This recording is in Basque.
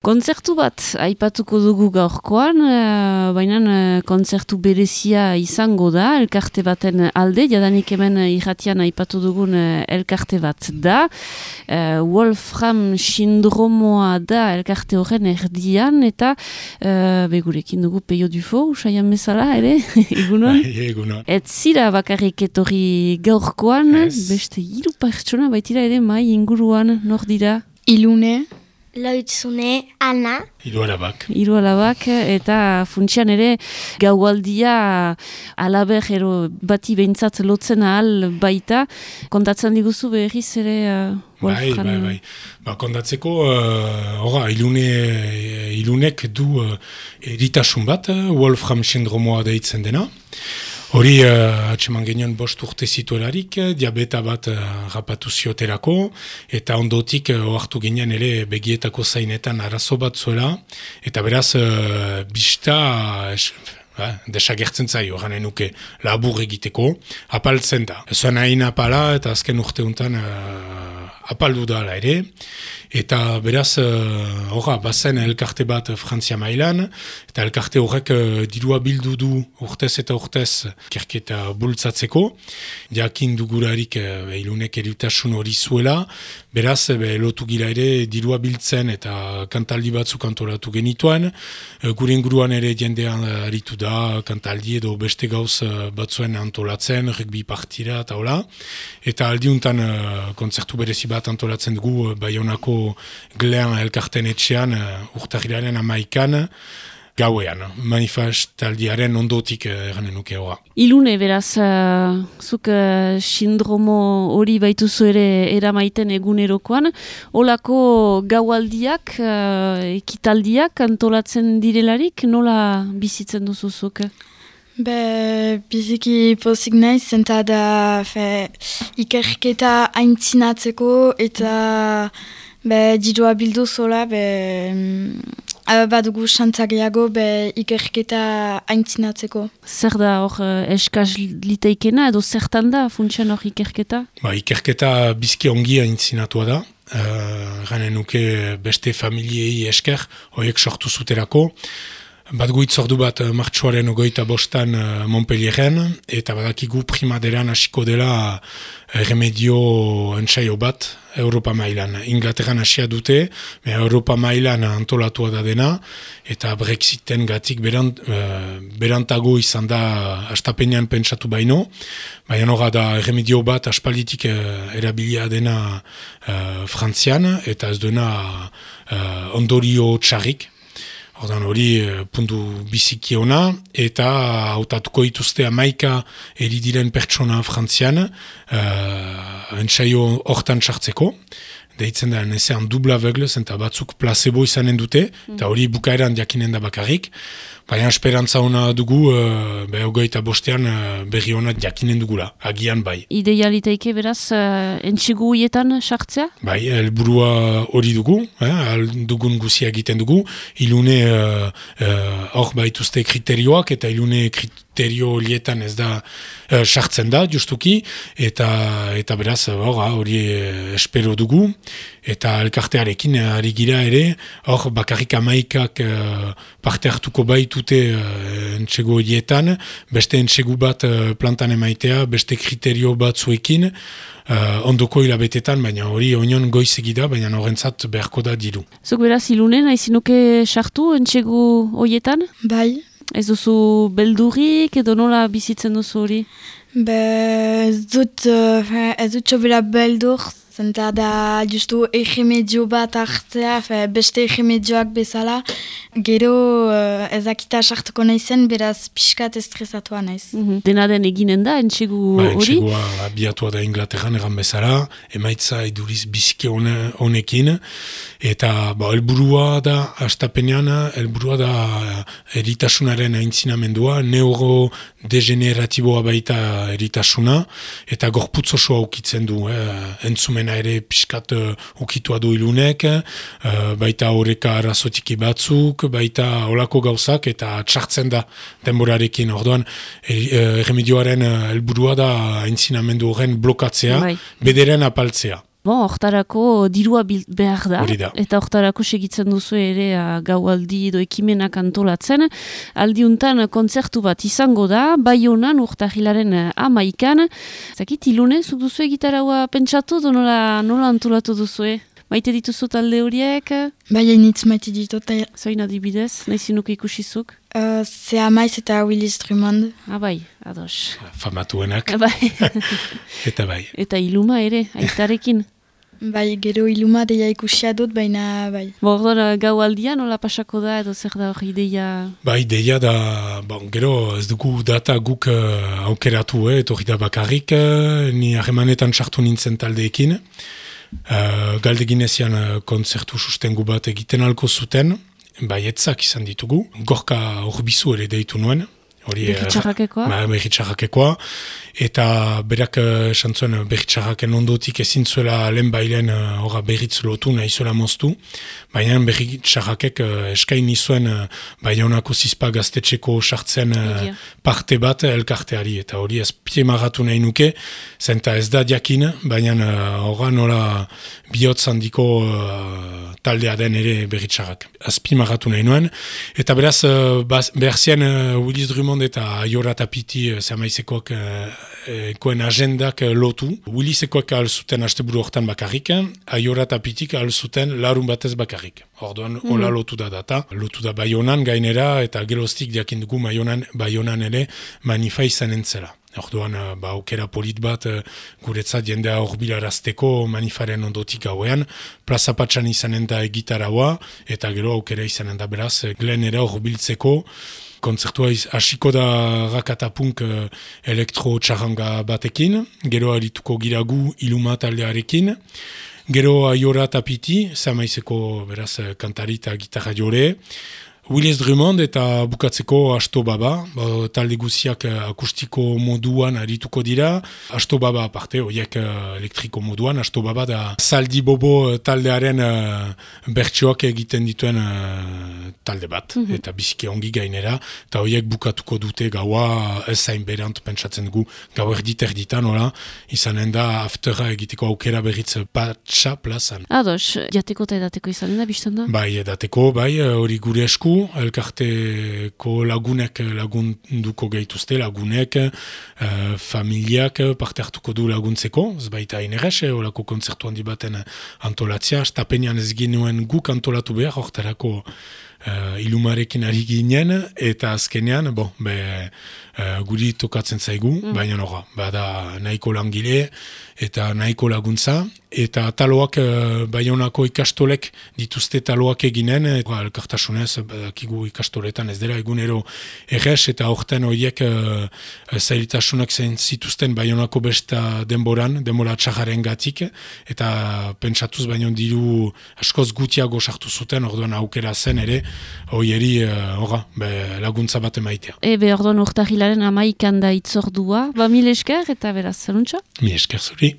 Kontzertu bat aipatuko dugu gaurkoan, baina kontzertu berezia izango da, elkarte baten alde, jadanik hemen irratian aipatu dugun elkarte bat da. Wolfram sindromoa da elkarte horren erdian, eta begurekin dugu Peio Dufo, usaian bezala, ere? Egunon? Egunon. Ez zira bakarrik etorri gaurkoan, beste 3 pertsona baitira ere mai inguruan, nor dira? Ilune. Loitzune, Ana. Hiru alabak, eta funtsian ere gaualdia alaber bati behintzat lotzen ahal baita. Kontatzen diguzu berriz ere Wolfram? Bai. Kontatzeko, ilunek du eritasun bat, Wolfram sindromoa deitzen dena. Hori, atseman genion 5 urte zituelarik, diabeta bat rapatu zioterako, eta ondotik ohartu genian ere begietako zainetan arazo bat zuela, eta beraz, bista desagertzen zaio, gane nuke labur egiteko, apaltzen da. Zuen hain apala, eta azken urte untan apaldu dala ere, eta beraz, bazen elkarte bat Frantzia mailan, eta elkarte horrek dirua bildu du urtez eta urtez ikerketa bultzatzeko, jakin dugularik ilunek eritasun hori zuela, beraz, lotu gira ere dirua biltzen eta kantaldi batzuk antolatu genituen, gure inguruan ere jendean aritu da, kantaldi edo beste gauz batzuen antolatzen, rugby partira eta hola, eta aldiuntan kontzertu berezi bat antolatzen dugu Baionako Glean elkarten etxean urtarrilaren 11 gauean, manifestaldiaren ondotik eranen nuke hori. Ilune, beraz, zuk sindromo hori baituzu ere eramaiten egunerokoan, olako gaualdiak, ekitaldiak antolatzen direlarik, nola bizitzen duzuzuk? Biziki pozik naiz, zenta da ikerketa aintzinatzeko eta dirua bildu zola, badugu xantzageago ikerketa aintzinatzeko. Zer da hor eskaz liteikena edo zertan da funtsian hor ikerketa? Ikerketa bizki ongi aintzinatua da. Ganen nuke beste familiei esker, horiek sortu zuterako. Bat guitzordu bat martxoaren 25 Montpellieren, eta badakigu primaderan hasiko dela remedio entsaio bat Europa mailan. Inglaterran hasia dute, Europa mailan antolatua da dena, eta Brexiten gatik berantago izan da astapenean pentsatu baino, baina hori da remedio bat aspalditik erabilia dena Frantzian, eta ez dena ondorio txarrik. Ordan hori puntu biziki ona, eta hautatuko dituzte 11 eridiren pertsona Frantzian, entsaio hortan sartzeko. Deitzen da nezean dubla aveuglez, eta batzuk placebo izanen dute, eta hori bukaeran jakinen da bakarrik. Baina esperantza ona dugu, 25 berri ona jakinen dugula, agian bai. Idealiteike beraz, entxegu huietan sartzea? Bai, helburua hori dugu, dugun guzia egiten dugu, ilune hor baituzte kriterioak, eta ilune kriterio horietan ez da sartzen da, justuki, eta beraz hori espero dugu, eta elkartearekin ari gira ere, hor bakarrik 11 parte hartuko baitute entxegu horietan, beste entxegu bat plantan emaitea, beste kriterio batzuekin, ondoko hilabetetan, baina hori oinon goizegida, baina horrentzat beharko da diru. Zuk beraz ilunen, haizinuke sartu entxegu horietan? Bai. Ez duzu beldurrik edo nola bizitzen duzu hori? Ez dut sobera beldur, zenta da justu egemedio bat hartzea, beste egemedioak bezala, gero ezakita sartuko naizen, beraz pixkat estresatua naiz. Dena den eginen da, entxegu hori? Entxegua abiatua da Inglaterran egan bezala, emaitza eduriz biziki honekin, eta helburua da, astapenean, helburua da eritasunaren aintzinamendua, neurodegeneratiboa baita eritasuna, eta gorputz osoa ukitzen du, entzumena ere pixkat ukitua du ilunek, baita horreka arrazotiki batzuk, baita olako gauzak, eta txartzen da denborarekin. Orduan, remedioaren helburua da aintzinamendu horren blokatzea, bederen apaltzea. Bon, hortarako dirua behar da. Hori da. Eta hortarako segitzen duzu ere gaualdi edo ekimenak antolatzen. Aldiuntan kontzertu bat izango da, Baionan urtahilaren 11an. Zakit, ilune, zuk duzu gitaraua pentsatu, nola antolatu duzue? Maite dituzu talde horiek? Bai, hainitz maite ditut. Zoin adibidez, nahi zinuko ikusizuk? Zea Maiz eta Willis Drummond. Bai, ados. Famatuenak. Bai. Eta bai. Eta Iluma ere, aitarekin. Bai, gero Iluma deia ikusia dut, baina bai. Bordon, gau aldia nola pasako da, edo zer da hori ideia? Bai, ideia da, gero ez dugu data guk aukeratu, hori da bakarrik, ni harremanetan sartu nintzen taldeekin. Galdeginezian kontzertu sustengu bat egiten alko zuten, baietzak izan ditugu. Gorka Orbizu ere deitu nuen. Berritxarrakekoa? Berritxarrakekoa. Eta berak esan zuen berritxarraken ondotik ezin zuela lehen bailen berritz lotu nahi zuela moztu. Baina berritxarrakek eskaini zuen Baionako zizpa gaztetxeko sartzen parte bat elkarteari. Eta hori azpimarratu nahi nuke, zenta ez da diakin, baina nola bihotz handiko taldea den ere berritxarrak. Azpimarratu nahi nuen. Eta beraz, behar zien Willis Drummond eta Aiora Tapiti Zamaizekoak koen agendak lotu. Willisekoak alzuten asteburu hortan bakarrik, Aiora Tapitik alzuten larun batez bakarrik. Orduan, hola lotu da data. Lotu da Baionan gainera eta geroztik diakindugu Baionan ere manifa izan entzela. Orduan, aukera polit bat guretzat jendea horbilarazteko manifaren ondotik hauean, plaza patxan izanen da egitaraua, eta gero aukera izanen da beraz, glenera horbiltzeko, kontzertua hasiko da rakatapunk elektro txarranga batekin, gero arituko giragu Iluma taldearekin, gero Aiora Tapiti, Zamaizeko beraz kantari eta gitarra jore, Willis Drummond eta bukatzeko Asto Baba, talde guziak akustiko moduan arituko dira. Asto Baba aparte, horiek elektriko moduan, Asto Baba da Zaldi Bobo taldearen bertsioak egiten dituen talde bat, eta biziki ongi gainera, eta horiek bukatuko dute gaua ezain berant pentsatzen dugu, gau erditan, izanen da aftera egiteko aukera berriz patxa plazan. Ados, jateko eta edateko izanen da, biztan da? Bai, edateko, hori gure esku, elkarteko lagunek lagunduko gehituzte, lagunek, familiak parte hartuko du laguntzeko, ez baita inerez, olako kontzertu handi baten antolatzea, stapenean ez ginuen guk antolatu behar, hortarako Ilumarekin ari ginen, eta azkenean, guri tokatzen zaigu, baina bada nahiko langile, eta nahiko laguntza, eta taloak, Baionako ikastolek dituzte taloak eginen, elkartasunez, badakigu ikastoletan ez dela egunero errez, eta horten horiek zailtasunak zituzten Baionako besta denbora txarraren gatik, eta pentsatuz baino diru askoz gutiago sartu zuten, orduan aukera zen ere, horieri laguntza bat emaitea. Orduan urtahilaren 11an da itzordua, mil esker eta beraz, zeluntza? Mil esker zuri.